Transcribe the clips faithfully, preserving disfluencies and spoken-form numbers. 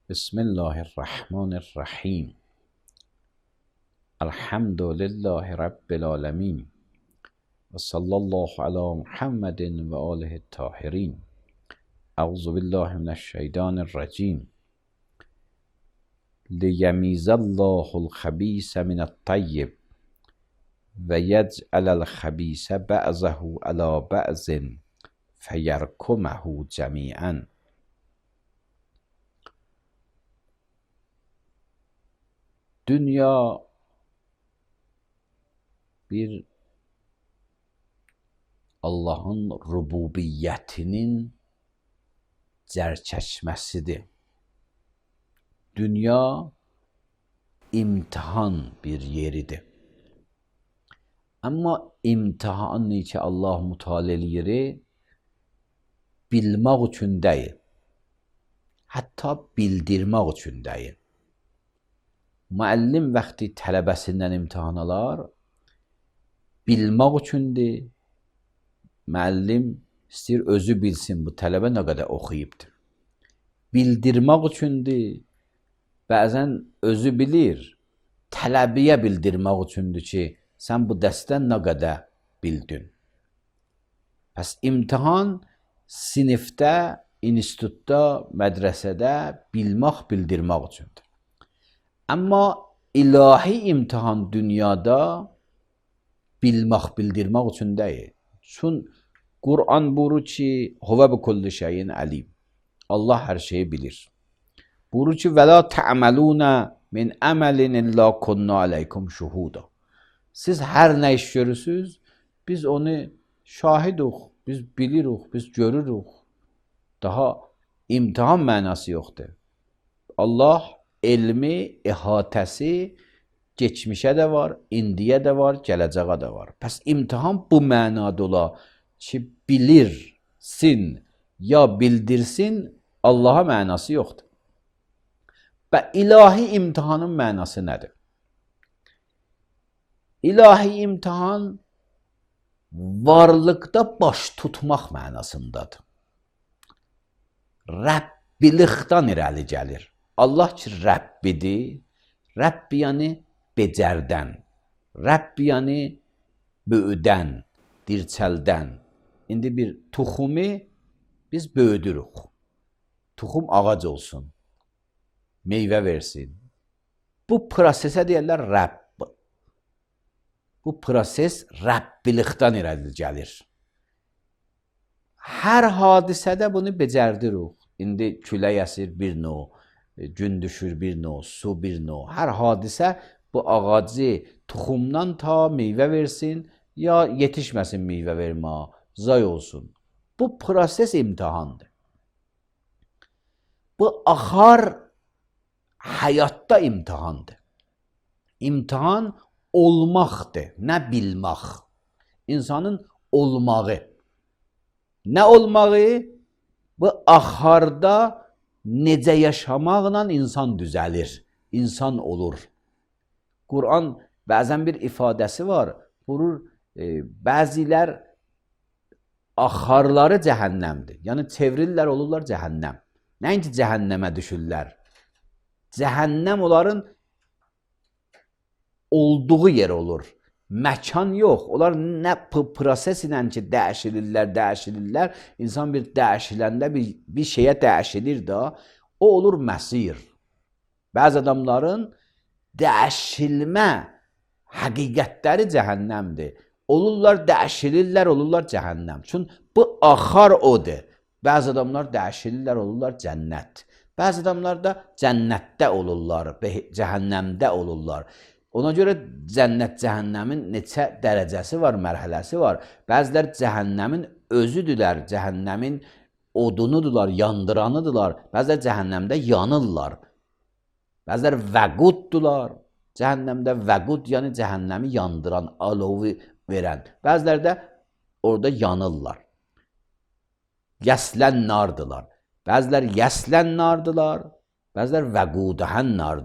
Bismillahirrahmanirrahim. Elhamdülillahi Rabbil alemin. Ve sallallahu ala Muhammedin ve alihi tahirin. Euzu billahi mineşşeytanirracim. Liyemizallahul habise mine't-tayyib ve yec'alel habise ba'zahu ala ba'zin feyerkumehu cemi'an. Dünya bir Allah'ın rububiyyətinin cərçəşməsidir. Dünya imtihan bir yeridir. Amma imtihanı ki Allah müteala eləyir, bilmək üçün deyil. Hətta bildirmək üçün deyil. Müəllim vaxtı tələbəsindən imtihan alar, bilmək üçündür. Müəllim istəyir özü bilsin bu tələbə nə qədər oxuyubdur. Bildirmək üçündür. Bəzən özü bilir, tələbəyə bildirmək üçündür ki, sən bu dərsdən nə qədər bildin. Pəs imtihan sinifdə, institutda, mədrəsədə bilmək, bildirmək üçündür. Amma ilahi imtihan dünyada bilmək, bildirmək üçün deyil. Çün Kur'an buyurur ki, Huve bi kulli şeyin alim. Allah hər şeyi bilir. Buyurur ki, və la ta'maluna min amalin illa kunna aleykum şuhuda. Siz hər nə iş görürsünüz, biz onu şahiduq, biz bilirik, biz görürük. Daha imtihan mənası yoxdur. Allah elmi, ihatəsi geçmişə də var, indiyə də var, gələcəyə də var. Pəs imtihan bu mənada ola ki, bilirsin ya bildirsin, Allaha mənası yoxdur. Və ilahi imtihanın mənası nədir? İlahi imtihan varlıqda baş tutmaq mənasındadır. Rəbbilikdən irəli gəlir. Allah ki, Rəbbidir. Rəbb yəni becərdən. Rəbb yəni böyüdən, dirçəldən. İndi bir tuxumu biz böyüdürük. Tuxum ağac olsun, meyvə versin. Bu prosesə deyirlər Rəbb. Bu proses Rəbbilikdən irəli gəlir. Hər hadisədə bunu becərdirik. İndi külək əsir bir növ, gün düşür bir növ, su bir növ. Hər hadisə bu ağacı tuxumdan ta meyvə versin, ya yetişməsin meyvə vermə, zay olsun. Bu proses imtihandır. Bu axar həyatda imtihandır. İmtihan olmaqdır, nə bilmək. İnsanın olmağı. Nə olmağı? Bu axarda necə yaşamaqla insan düzəlir, insan olur. Kur'an bəzən bir ifadəsi var. Buyurur, e, bəzilər axarları cəhənnəmdir. Yəni çevrilirlər, olurlar cəhənnəm. Nəinki cəhənnəmə düşürlər. Cəhənnəm onların olduğu yer olur. Məkan yox. Onlar nə proses ilə ki, dəyişilirlər, dəyişilirlər. İnsan bir dəyişiləndə bir, bir şeyə dəyişilir də, o olur məsir. Bəzi adamların dəyişilmə həqiqətləri cəhənnəmdir. Olurlar, dəyişilirlər, olurlar cəhənnəm. Çünki bu axar odur. Bəzi adamlar dəyişilirlər, olurlar cənnət. Bəzi adamlar da cənnətdə olurlar, cəhənnəmdə olurlar. Ona görə cənnət, cəhənnəmin neçə dərəcəsi var, mərhələsi var. Bəzilər cəhənnəmin özüdülər, cəhənnəmin odunudular, yandıranıdılar. Bəzilər cəhənnəmdə yanırlar. Bəzilər vəquddular. Cəhənnəmdə vəqud, yəni cəhənnəmi yandıran, alovu verən. Bəzilər də orada yanırlar. Yəslən nardılar. Bəzilər yəslən nardılar. Bəzilər vəqudəhən nar,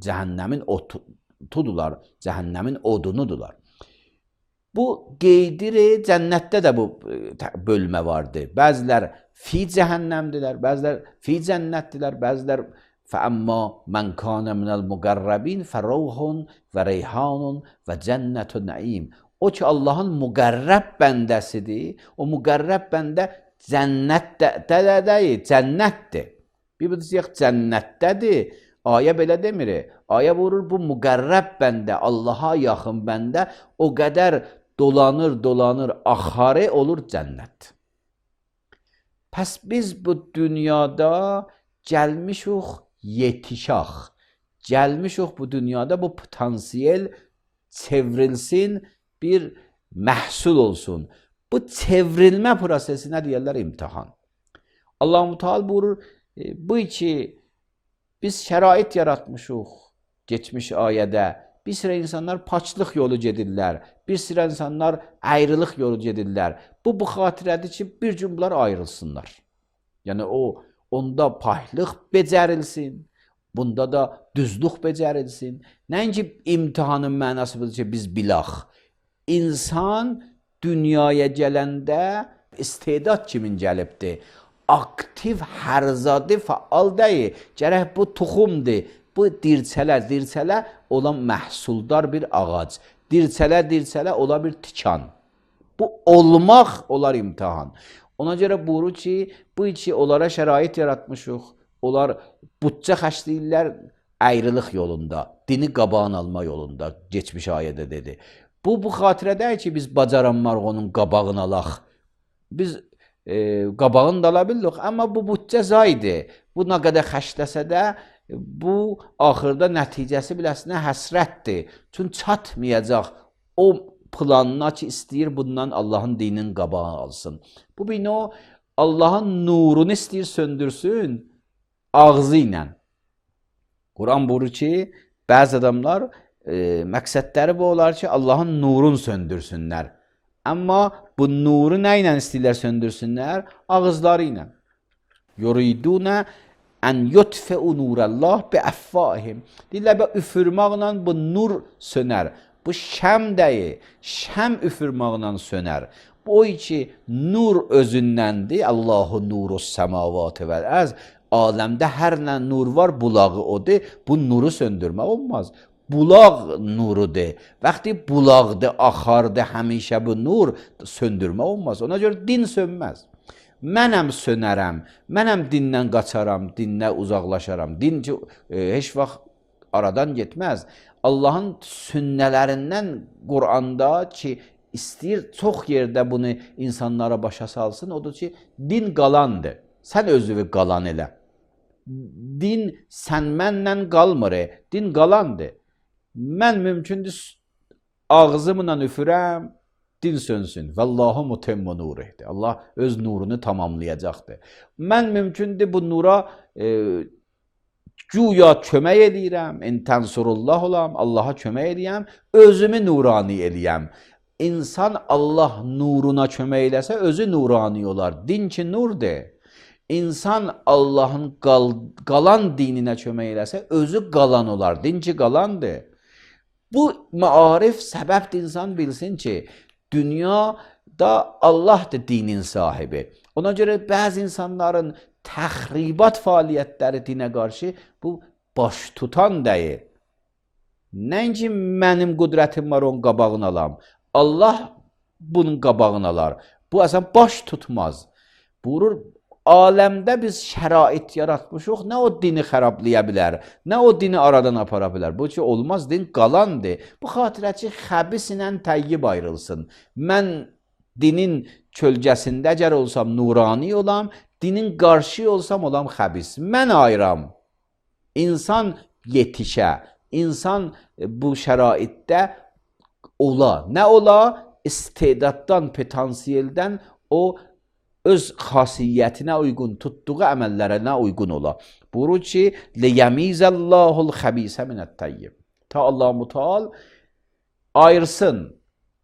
cəhənnəmin otu. Tudular, cəhənnəmin odunudular. Bu qeydiri cənnətdə də bu bölmə vardır. Bəzilər fi cəhənnəmdilər, bəzilər fi cənnətdilər, bəzilər فَأَمَّا مَنْ كَانَ مِنَ الْمُقَرَّبِينَ فَرَوْحٌ وَرَيْحَانٌ وَجَنَّةُ النَّعِيمِ. O ki Allahın müqərrəb bəndəsidir. O müqərrəb bəndə cənnətdə deyil, cənnətdir. Bir bu deyək cənnətdədir. Ayə belə demir. Ayə vurur bu müqərrəb bəndə, Allaha yaxın bəndə o qədər dolanır, dolanır, axarı olur cənnət. Pəs biz bu dünyada gəlmişuq yetişaq. Gəlmişuq bu dünyada bu potansiyel çevrilsin, bir məhsul olsun. Bu çevrilmə prosesi nə deyirlər? İmtihan. Allah-u Teala buyurur, bu iki biz şərait yaratmışıq geçmiş ayədə. Bir sıra insanlar paçlıq yolu gedirlər. Bir sıra insanlar ayrılıq yolu gedirlər. Bu, bu xatirədir ki, bir gün bunlar ayrılsınlar. Yəni o, onda pahlıq becərilsin. Bunda da düzlük becərilsin. Nəinki imtihanın mənası budur ki, biz bilaq. İnsan dünyaya gələndə istedad kimin gəlibdir? Aktiv, hərzadi, faal deyil. Gərək bu toxumdur. Bu dirçələ, dirçələ olan məhsuldar bir ağac. Dirçələ, dirçələ ola bir tikan. Bu olmaq olar imtihan. Ona görə buyurur ki, bu iki onlara şərait yaratmışıq. Onlar bütçə xərcləyirlər ayrılıq yolunda, dini qabağın alma yolunda, geçmiş ayədə dedi. Bu, bu xatirədə ki, biz bacaranmarıq onun qabağını alaq. Biz e, qabağını da ala bilirik, amma bu bütçə zaydır. Bu nə qədər xərcləsə də, bu axırda nəticəsi biləsinə həsrətdir. Çünki çatmayacaq o planına ki, istəyir bundan Allahın dininin qabağını alsın. Bu bir o Allahın nurunu istəyir söndürsün ağzı ilə. Quran buyurur ki, bəzi adamlar e, məqsədləri bu olar ki, Allahın nurunu söndürsünlər. Amma bu nuru nə ilə istəyirlər söndürsünlər? Ağızları ilə. Yuridunə ən yutfəu nurəllah bi əffahim. Deyirlər, üfürmaqla bu nur sönər. Bu şəm deyil, şəm üfürmaqla sönər. Bu o ki, nur özündəndir. Allahu nurus səmavatı vəl-ərz. Aləmdə hər nə nur var, bulağı odur. Bu nuru söndürmək olmaz. Bulaq nurudur. Vaxtı bulaqdır, axardır, həmişə bu nur söndürmək olmaz. Ona görə din sönməz. Mənəm sönərəm, mənəm dindən qaçaram, dindən uzaqlaşaram. Din ki, e, heç vaxt aradan getməz. Allahın sünnələrindən Quranda ki, istəyir çox yerdə bunu insanlara başa salsın, odur ki, din qalandır. Sən özünü qalan elə. Din sən mənlə qalmır, din qalandır. Mən mümkündür ağzımla üfürəm, din sönsün. Vallahu mutemmu nurihdir. Allah öz nurunu tamamlayacaqdır. Mən mümkündür bu nura e, güya kömək eləyirəm, intənsurullah olam, Allaha kömək eləyəm, özümü nurani eləyəm. İnsan Allah nuruna kömək eləsə, özü nurani olar. Din ki nurdur. İnsan Allahın qal qalan dininə kömək eləsə, özü qalan olar. Din ki qalandır. Bu maarif səbəbdir insan bilsin ki, dünyada Allahdır dinin sahibi. Ona görə bəzi insanların təxribat fəaliyyətləri dinə qarşı bu baş tutan deyil. Nəinki mənim qüdrətim var, onun qabağını alam. Allah bunun qabağını alar. Bu əsən baş tutmaz. Buyurur, aləmdə biz şərait yaratmışıq, nə o dini xərablaya bilər, nə o dini aradan apara bilər. Bu ki, olmaz, din qalandır. Bu xatirə ki, xəbis ilə təyyib ayrılsın. Mən dinin kölgəsində əgər olsam nurani olam, dinin qarşı olsam olam xəbis. Mən ayıram. İnsan yetişə, insan bu şəraitdə ola. Nə ola? İstedaddan, potansiyeldən o öz xasiyyətinə uyğun, tutduğu əməllərinə uyğun ola. Buyurur ki, liyəmizəllahul xəbisə minət-təyyib. Ta Allah-u Teala ayırsın.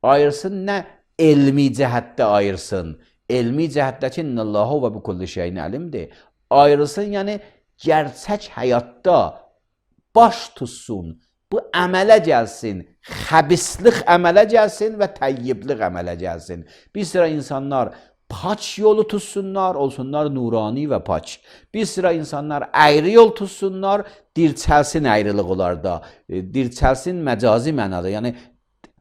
Ayırsın nə? Elmi cəhətdə ayırsın. Elmi cəhətdə ki, innəllahu və bi kulli şeyin əlimdir. Ayırsın, yəni gerçək həyatda baş tutsun. Bu əmələ gəlsin. Xəbislik əmələ gəlsin və təyyiblik əmələ gəlsin. Bir sıra insanlar paç yolu tutsunlar, olsunlar nurani ve paç. Bir sıra insanlar ayrı yol tutsunlar, dirçəlsin ayrılıq onlarda, e, dirçəlsin məcazi mənada, yəni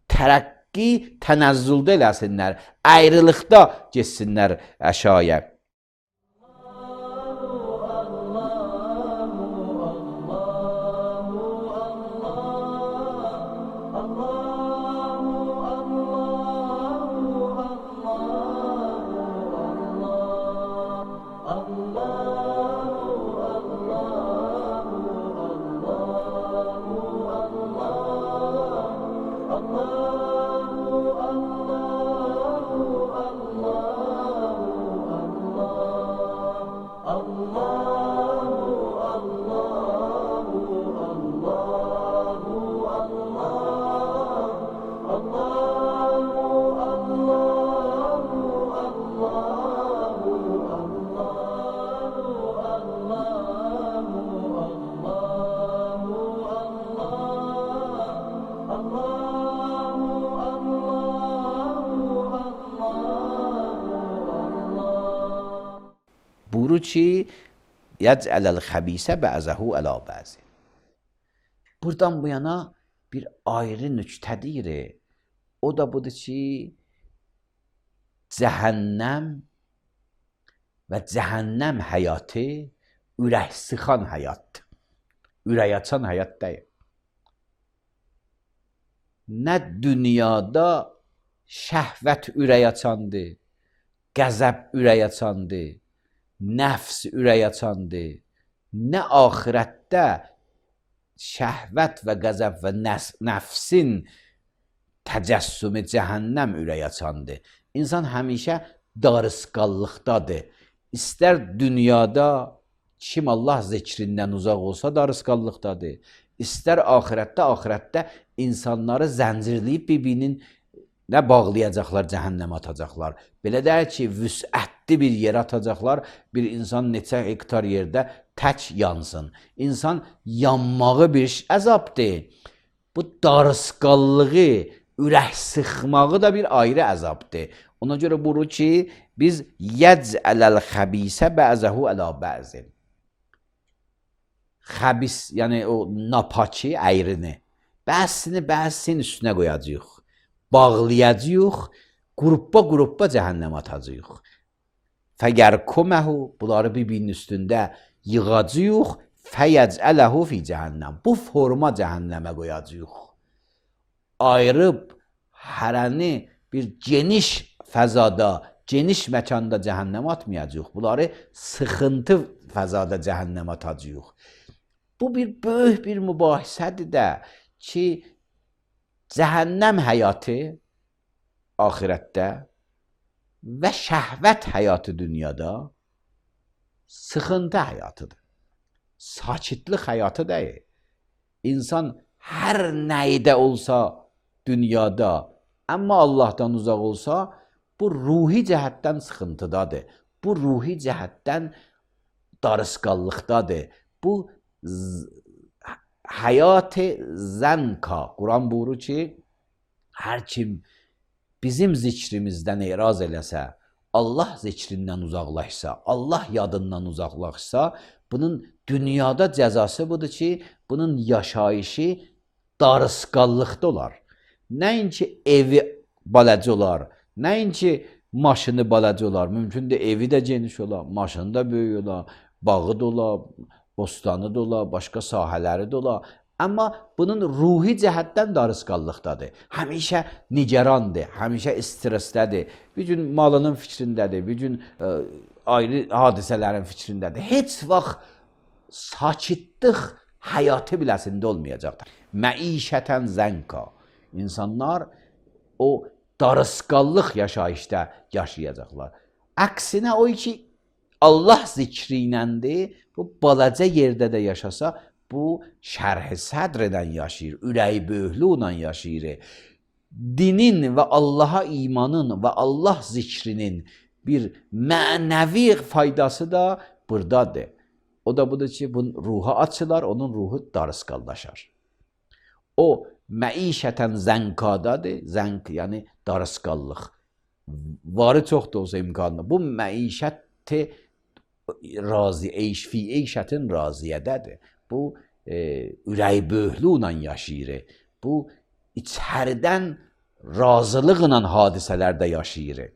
tərəqqi tənəzzüldə eləsinlər, ayrılıqda geçsinlər əşaya. Buyurur ki, yəcələl xəbisə bəzəhu ələ bəzi. Buradan bu yana bir ayrı nüktədir. O da budur ki, cəhənnəm və cəhənnəm həyatı ürək sıxan həyatdır. Ürək açan həyat deyil. Nə dünyada şəhvət ürək açandır, qəzəb ürək açandır, nəfs ürək açandır, nə axirətdə şəhvət və qəzəb və nəfsin təcəssümü cəhənnəm ürək açandır. İnsan həmişə darısqallıqdadır. İstər dünyada kim Allah zikrindən uzaq olsa darısqallıqdadır. İstər axirətdə, axirətdə insanları zəncirləyib bir-birinin nə bağlayacaqlar, cəhənnəmə atacaqlar. Belə deyək ki, vüsətli bir yerə atacaqlar, bir insan neçə hektar yerdə tək yansın. İnsan yanmağı bir əzabdır. Bu darısqallığı, ürək sıxmağı da bir ayrı əzabdır. Ona görə buyurur ki, biz yəcələl xəbisə bəzəhu ələ bəzin. Xəbis, yəni o napaki əyrini, bəzisini bəzisinin üstünə qoyacaq. Bağlayacaq, qruppa-qruppa cəhənnəmə atacaq. Fəgərkuməhu, bunları bir-birinin üstündə yığacaq, fəyəcələhu fi cəhənnəm. Bu forma cəhənnəmə qoyacaq. Ayırıb hərəni bir geniş fəzada, geniş məkanda cəhənnəmə atmayacaq. Bunları sıxıntı fəzada cəhənnəmə atacaq. Bu bir böyük bir mübahisədir də ki, cəhənnəm həyatı axirətdə və şəhvət həyatı dünyada sıxıntı həyatıdır. Sakitlik həyatı deyil. İnsan hər nəydə olsa dünyada, amma Allahdan uzaq olsa, bu ruhi cəhətdən sıxıntıdadır. Bu ruhi cəhətdən darısqallıqdadır. Bu həyat-ı zənka. Quran buyurur ki, hər kim bizim zikrimizdən eraz eləsə, Allah zikrindən uzaqlaşsa, Allah yadından uzaqlaşsa, bunun dünyada cəzası budur ki, bunun yaşayışı darısqallıqda olar. Nəinki evi balaca olar, nəinki maşını balaca olar, mümkündür evi də geniş olar, maşını da böyük olar, bağı da olar, bostanı da olar, başqa sahələri də olar. Amma bunun ruhi cəhətdən darısqallıqdadır. Həmişə nigarandır, həmişə stressdədir. Bir gün malının fikrindədir, bir gün ə, ayrı hadisələrin fikrindədir. Heç vaxt sakitlik həyatı biləsində olmayacaqdır. Məişətən zənka. İnsanlar o darısqallıq yaşayışda yaşayacaqlar. Əksinə o ki, Allah zikri iləndir, bu balaca yerdə də yaşasa, bu şərh-i sədrdən yaşayır, ürəyi böyüklüklə yaşayır. Dinin və Allaha imanın və Allah zikrinin bir mənəvi faydası da buradadır. O da budur ki, bunun ruha açılar, onun ruhu darısqallaşar. O məişətən zənkadadır, zənk yəni darısqallıq. varı çox da olsa imkanı. Bu məişət razi, eyş fi eyşətin raziyədədir. Bu e, ürək böhlüylə yaşayır. Bu içəridən razılıqla hadisələrdə yaşayır.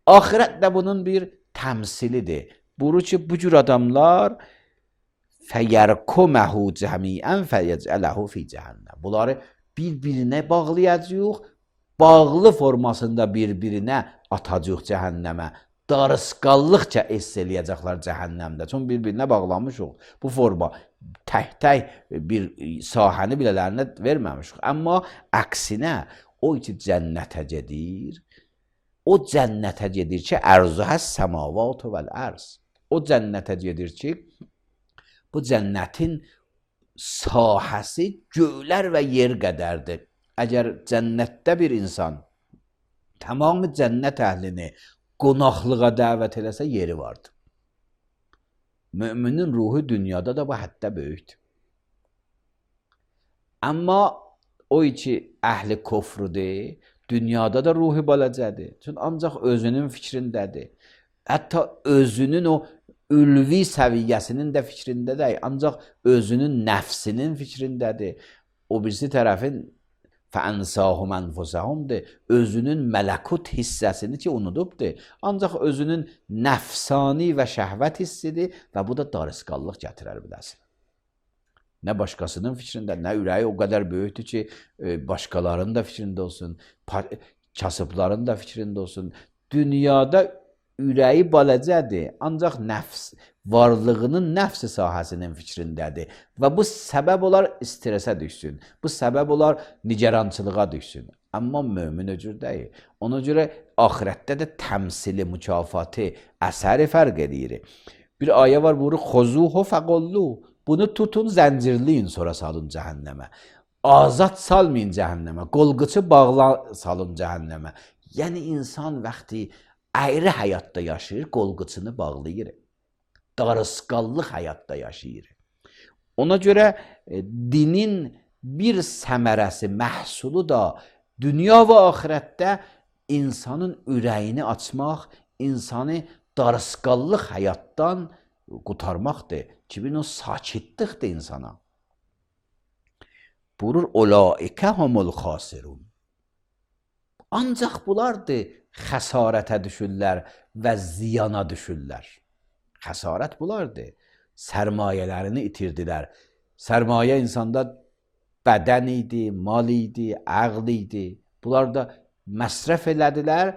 Ahirət də bunun bir təmsilidir. Buru ki, bu cür adamlar fəyərkuməhu cəmiən fəyəcələhu fi cəhənnəm. Bunları bir-birinə bağlayacaq, bağlı formasında bir-birinə atacaq cəhənnəmə. Darısqallıqca ess eləyəcəklər cəhənnəmdə. Çünki bir-birinə bağlanmışıq. Bu forma tək-tək bir sahəni bilələrinə verməmişik. Amma əksinə o ki cənnətə gedir, o cənnətə gedir ki, ərzuhə səmavat vəl ərz. O cənnətə gedir ki, bu cənnətin sahəsi göylər və yer qədərdir. Əgər cənnətdə bir insan tamamı cənnət əhlini qonaqlığa dəvət eləsə yeri vardır. Müminin ruhu dünyada da bu həddə böyükdür. Amma o ki əhli kofrudur, dünyada da ruhu balacədir. Çünki ancaq özünün fikrindədir. Hətta özünün o ülvi səviyyəsinin də fikrindədir. Ancaq özünün nəfsinin fikrindədir. O birisi tərəfin fəənsahum ənfusəhumdur. Özünün mələkut hissəsini ki unudubdur. Ancaq özünün nəfsani və şəhvət hissidir və bu da darısqallıq gətirər biləsin. Nə başqasının fikrində, nə ürəyi o qədər böyükdür ki, başqalarının da fikrində olsun, kasıbların da fikrində olsun. Dünyada ürəyi balacədir, ancaq nəfs, varlığının nəfsi sahəsinin fikrindədir. Və bu səbəb olar stresə düşsün, bu səbəb olar nigerançılığa düşsün. Amma mömin öcür deyil. Ona görə ahirətdə də təmsili, mükafatı, əsəri fərq edir. Bir ayə var, buyurur, xozuhu fəqollu. Bunu tutun, zəncirləyin, sonra salın cəhənnəmə. Azad salmayın cəhənnəmə, qolqıçı bağla salın cəhənnəmə. Yəni insan vaxtı ayrı həyatda yaşayır, qolqıçını bağlayır. Darısqallıq həyatda yaşayır. Ona görə e, dinin bir səmərəsi, məhsulu da dünya və axirətdə insanın ürəyini açmaq, insanı darısqallıq həyatdan qurtarmaqdır. Ki, o sakitlikdir insana. Buyurur, olaikə humul xasirun. Ancaq bunlardır xəsarətə düşürlər və ziyana düşürlər. Xəsarət bunlardır. Sərmayələrini itirdilər. Sərmayə insanda bədən idi, mal idi, əql idi. Bunlar da məsrəf elədilər,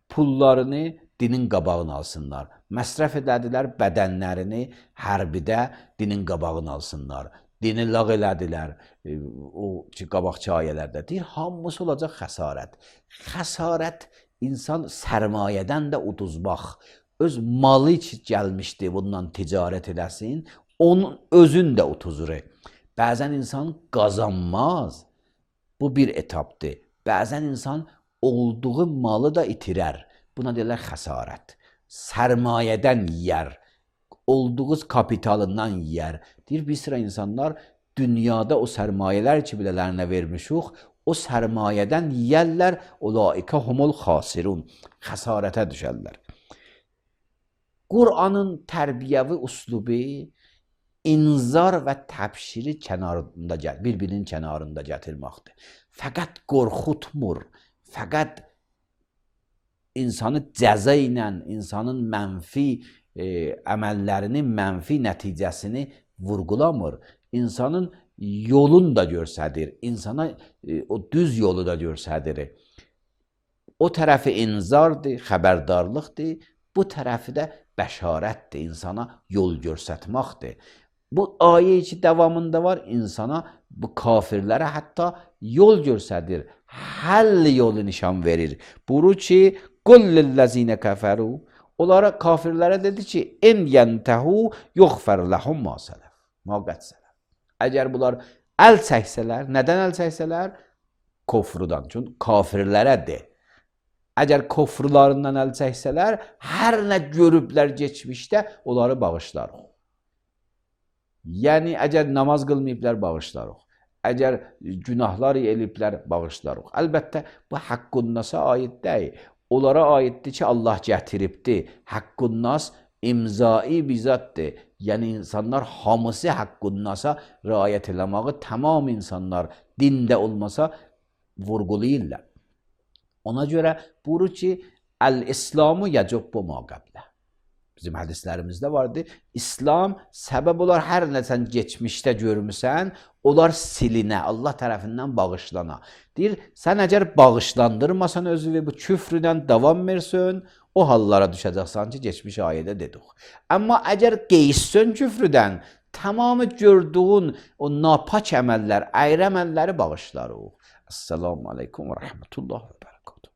pullarını dinin qabağını alsınlar. Məsrəf elədilər bədənlərini hərbidə dinin qabağını alsınlar. Dini lağ elədilər, o ki, qabaqçı ayələrdə deyir, hamısı olacaq xəsarət. Xəsarət insan sərmayədən də uduzmaq, öz malı ki gəlmişdi, bundan ticarət eləsin, onun özün də utuzur. Bəzən insan qazanmaz, bu bir etapdır. Bəzən insan olduğu malı da itirər. Buna deyirlər xəsarət. Sərmayədən yiyər, olduğu kapitalından yiyər. Deyir, bir sıra insanlar dünyada o sərmayələr ki, bilələrinə vermişik, o sərmayədən yiyərlər, olaikə humul xasirun, xəsarətə düşərlər. Qur'anın tərbiyəvi uslubu inzar və təbşiri kənarında, bir-birinin kənarında gətirməkdir. Fəqət qorxutmur, fəqət insanı cəza ilə, insanın mənfi e, əməllərinin mənfi nəticəsini vurgulamır. İnsanın yolunu da görsədir, insana e, o düz yolu da görsədir. O tərəfi inzardır, xəbərdarlıqdır, bu tərəfi də bəşarətdir, insana yol görsətməkdir. Bu ayə ki davamında var, insana, bu kafirlərə hətta yol görsədir, həll yolu nişan verir. Buyurur ki, qul lillezine kəfəru, onlara kafirlərə dedi ki, in yentəhu yuğfər ləhum ma sələf, ma qət sələf. Əgər bunlar əl çəksələr, nədən əl çəksələr? Kofrudan, çünki kafirlərə de. Əgər kofrularından əl çəksələr, hər nə görüblər geçmişdə, onları bağışlarıq. Yəni, əgər namaz qılmayıblər, bağışlarıq. Əgər günahlar eliblər, bağışlarıq. Əlbəttə, bu haqqun nasa aid deyil. onlara aiddir ki, Allah gətiribdir. Haqqun nas imzai bizatdır. Yəni insanlar hamısı haqqun nasa riayət eləməyi tamam insanlar dində olmasa vurğulayırlar. Ona görə buyurur ki, el-İslamu yəcubbu ma qəblə. Bizim hədislərimizdə vardı. İslam səbəb olar hər nə sən keçmişdə görmüsən, onlar silinə, Allah tərəfindən bağışlana. Deyir, sən əgər bağışlandırmasan özünü bu küfrdən davam versən, o hallara düşəcəksən ki, geçmiş ayədə dedik. Amma əgər qeyssən küfrdən, tamamı gördüğün o napak əməllər, əyrə əməlləri bağışlarıq. Esselamu aleykum və rəhmətullah və bərəkatuhu.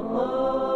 Allah